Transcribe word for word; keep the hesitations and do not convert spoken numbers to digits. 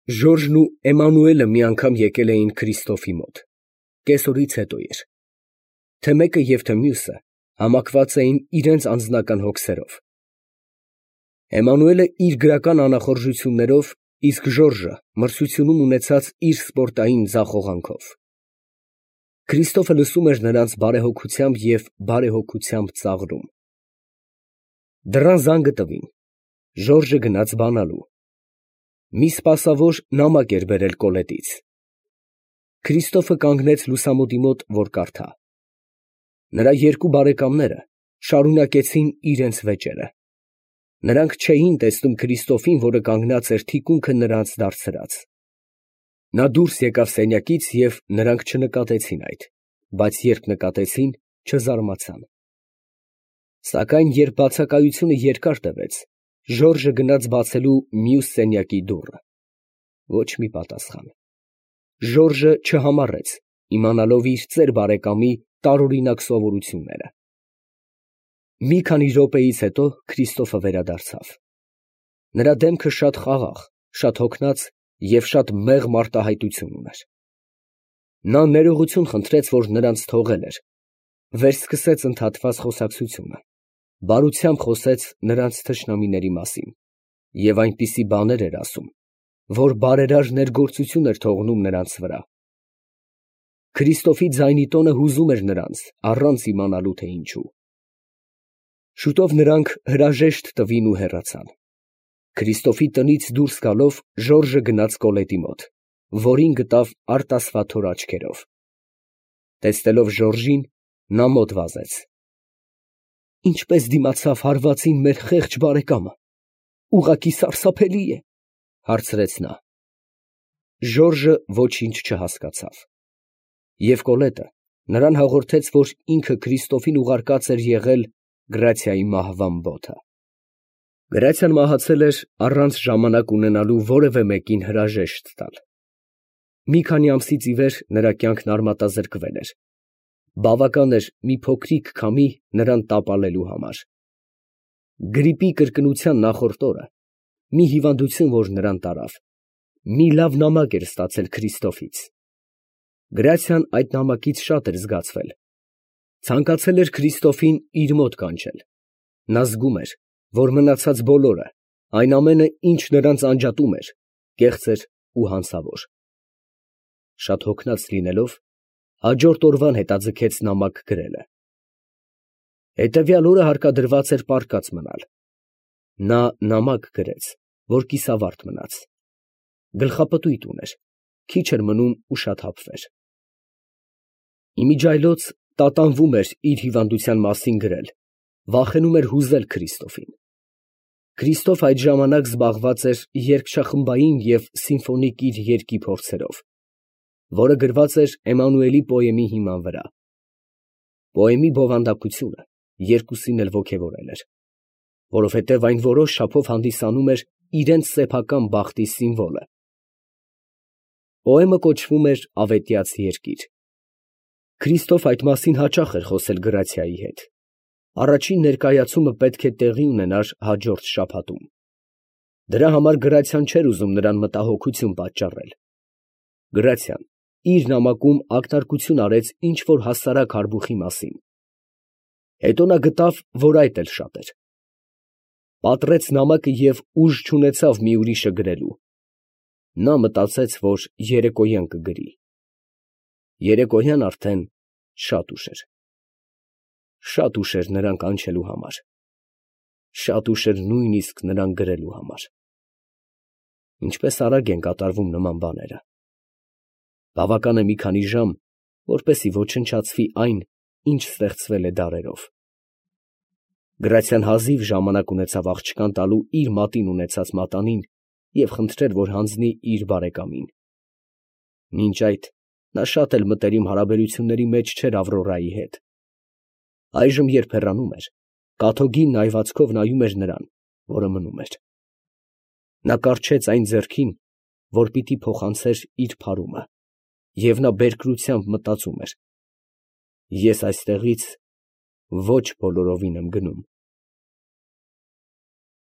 Ժորժն ու Էմանուելը մի անգամ եկել էին Քրիստոֆի մոտ, կեսօրից հետո էր. թե մեկը և թե մյուսը համակված էին իրանց անձնական հոգսերով. Էմանուելը իր գրական անախորժություններով, իսկ Ժորժը մրցությունում ունեցած իր սպորտային ձախողանքով։ Քրիստոֆը լսում էր նրանց բարեհոգությամբ և բարեհոգությամբ ծաղրում։ Դռան զանգը տվին, Ժորժը գնաց բանալու։ Մի սպասավոր նամակ էր բերել Կոլետից։ Քրիստոֆը կանգնեց լուսամուտի մոտ, որ կարդա։ Նրա երկու բարեկամները շարունակեցին իրենց վեճերը։ Նրանք չէին տեսնում Քրիստոֆին, որը կանգնած էր թիկունքը նրանց դարձրած։ Նա դուրս եկավ սենյակից, և նրանք չնկատեցին այդ, բայց երբ նկատեցին, չզարմացան։ Սակայն երբ բացակայությունը երկար տևեց, Ժորժը գնաց բացելու մյուս սենյակի դուռը։ Ոչ մի պատասխան։ Ժորժը չհամառեց, իմանալով իր ծեր բարեկամի տարօրինակ սովորությունները։ Մի քանի րոպեից հետո Քրիստոֆը վերադարձավ։ Նրա դեմքը շատ խաղաղ, շատ հոգնած և շատ մեղմ արտահայտություն ուներ։ Նա ներողություն խնդրեց, որ նրանց թողել էր, վերսկսեց ընդհատված խոսակցությունը, բարությամբ խոսեց նրանց թշնամիների մասին և այնպիսի բաներ էր ասում, որ բարերար ներգործություն էր թողնում նրանց վրա։ Քրիստոֆի ձայնի տոնը հուզում էր նրանց, առանց իմանալու, թե ինչու։ Շուտով նրանք հրաժեշտ տվին ու հեռացան։ Քրիստոֆի տնից դուրս գալով Ժորժը գնաց Կոլետի մոտ, որին գտավ արտասվաթոր աչքերով։ Տեսնելով Ժորժին, նա մոտ վազեց։ «Ինչպես դիմացավ հարվածին մեր խեղճ բարեկամը, ուղղակի սարսափելի է», ֊ հարցրեց նա։ Ժորժը ոչինչ չհասկացավ։ Եվ Կոլետը նրան հաղորդեց, որ ինքը Քրիստոֆին ուղարկած էր եղել Գրացիայի մահվան բոթը։ Գրացիան մահացել էր առանց ժամանակ ունենալու որևէ մեկին հրաժեշտ տալ։ Մի քանի ամսից ի վեր նրա կյանքն արմատազրկվել էր։ Բավական էր մի փոքրիկ քամի նրան տապալելու համար։ Գրիպի կրկնության նախորդ օրը մի հիվանդություն, որ նրան տարավ, մի լավ նամակ էր ստացել Քրիստոֆից։ Գրացիան այդ նամակից շատ էր զգացվել։ Ցանկացել էր Քրիստոֆին իր մոտ կանչել։ Նա զգում էր, որ մնացած բոլորը, այն ամենը, ինչ նրանց անջատում էր, կեղծ էր ու հանցավոր։ Շատ հոգնած լինելով, հաջորդ օրվան հետաձգեց նամակ գրելը։ Հետևյալ օրը հարկադրված էր պառկած մնալ։ Նա նամակ գրեց, որ կիսավարտ մնաց։ Գլխապտույտ ուներ, քիչ էր մնում ուշաթափվեր։ Իմիջիայլոց տատանվում էր իր հիվանդության մասին գրել, վախենում էր հուզել Քրիստոֆին։ Քրիստոֆ այդ ժամանակ զբաղված էր երգչախմբային և սիմֆոնիկ իր երգի փորձերով, որը գրված էր Էմանուելի պոեմի հիման վրա։ Պոեմի բովանդակությունը երկուսին էլ ոգևորել էր, որովհետև այն որոշ չափով հանդիսանում էր իրենց սեփական բախտի սիմվոլը։ Պոեմը կոչվում էր «Ավետյաց երկիր»։ Քրիստոֆ այդ մասին հաճախ էր խոսել Գրացիայի հետ։ Առաջին ներկայացումը պետք է տեղի ունենար հաջորդ շաբաթում։ Դրա համար Գրացիան չէր ուզում նրան մտահոգություն պատճառել։ Գրացիան իր նամակում ակնարկություն արեց ինչ֊որ հասարակ հարբուխի մասին։ Հետո նա գտավ, որ այդ էլ շատ էր։ Պատռեց նամակը և ուժ չունեցավ մի ուրիշը գրելու։ Նա մտածեց, որ երեկոյան կգրի։ Երեկոյան արդեն շատ ուշ էր։ Շատ ուշ էր նրան կանչելու համար։ Շատ ուշ էր նույնիսկ նրան գրելու համար։ Ինչպես արագ են կատարվում նման բաները։ Բավական է մի քանի ժամ, որպեսզի ոչնչացվի այն, ինչ ստեղծվել է դարերով։ Գրացիան հազիվ ժամանակ ունեցավ աղջկան տալու իր մատին ունեցած մատանին և խնդրել, որ հանձնի իր բարեկամին։ Մինչ այդ նա շատ էլ մտերիմ հարաբերությունների մեջ չէր Ավրորայի հետ։ Այժմ, երբ հեռանում էր, կաթոգին նայվածքով նայում էր նրան, որը մնում էր։ Նա կառչեց այն ձեռքին, որ պիտի փոխանցեր իր փարումը, և նա բերկրությամբ մտածում էր. «Ես այստեղից ոչ բոլորովին եմ գնում»։